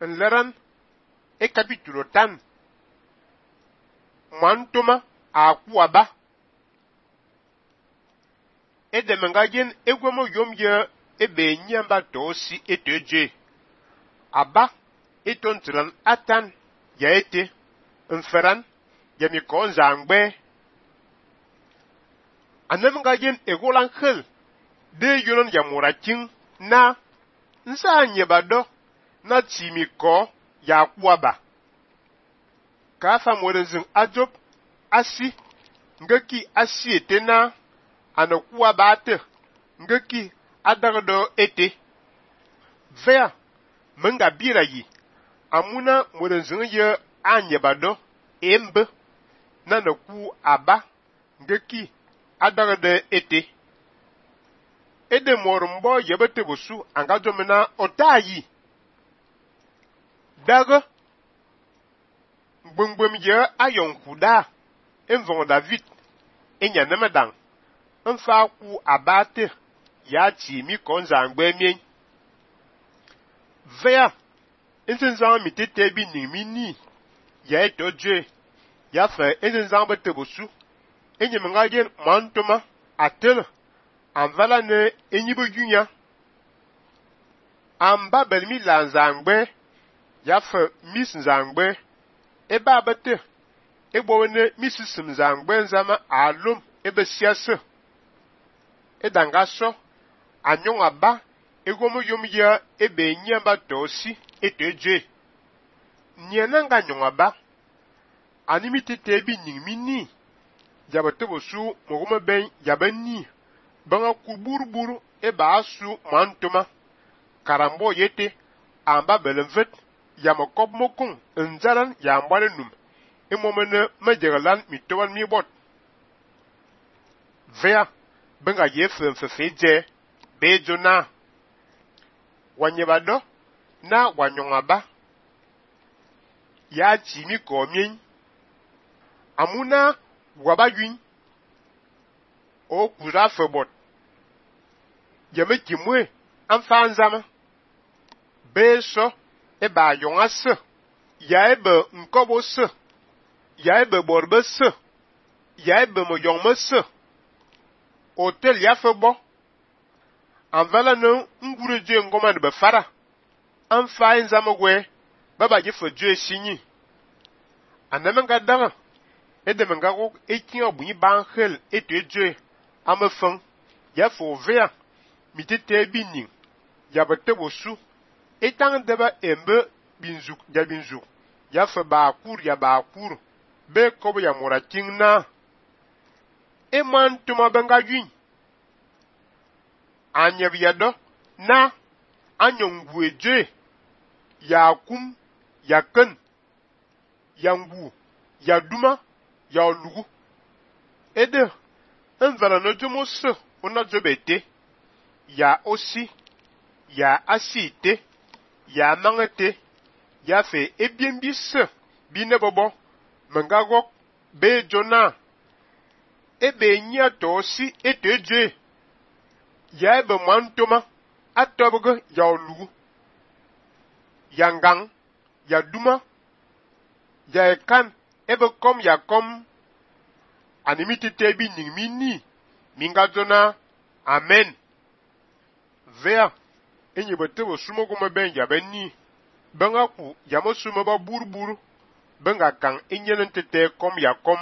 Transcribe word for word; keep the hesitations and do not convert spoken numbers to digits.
Nleran e capítulo tan. Mantoma a kuaba. E de mengajen egwemo yom ye ebe nyamba tosi eteje. Aba etontran atan ya ete. Nferan ya mi konzangbe. Anemengajen egolan khel de yonon ya murakin na nsa nyebado na timiko ya kuaba. Kafa morenzin ajob asi ngeki asi ete na anakuwa bate ngeki adagdo ete vea menga bira yi amuna morenzin ye anyebado embe na naku aba ngeki adagdo ete ede morumbo yebete busu angajomena otayi daga gbungbum ye ayon kuda envon David enya nemedan nfa ku abate ya ti mi konzangbe mien vea intenzan mi tete bi nimi ni ya etoje ya fe intenzan bete busu enye mengajen mantoma atel anvala ne enyibo junya amba belmi lanzangbe ya fe mis nzangbe eba bete egbo ne misisim zangbe nzama alum ebe siase edanga so anyon aba egomo yom ya ebe nyamba tosi eteje nienanga nyon aba animi tete bi ningmi ni yabate bosu mogome ben yabani banga kuburburu eba asu mantoma karambo yete amba belenvet yamokob mokun nzaran yambale num imomene mejegalan mitowan mi bot vea benga yefen fefeje bejona wanyebado na wanyongaba ya jimi komien amuna wabayun o kura febot yeme kimwe anfanzama beso eba yongase ya ebe nkobo se ya ebe borbe se ya ebe moyongme se hotel ya febo anvala no ngure je ngoma de befara anfa nzamogwe baba je foje sinyi anamenga danga edemenga ko ekin obunyi banhel eteje amefan ya fo vea mitete binin ya betebosu etang deba embe binzuk ya binzuk ya fe ba kur ya ba kur be kobo ya murakin na eman tuma benga yun anyebiyado na anyongweje ya kum ya ken ya ngu ya duma ya lugu ede envala no jomose ona jobete ya osi ya asite ya mangete ya fe ebiembise binebobo mengagok be jona ebe nya tosi eteje ya ebe mantoma atobge ya olugu ya ngang ya duma ya ekan ebe kom ya kom animiti tebi ningmi ni minga jona amen vea enye betebo sumogo meben ya benni benga ku ya mo sumo ba burburu benga kan enyelen tete kom ya kom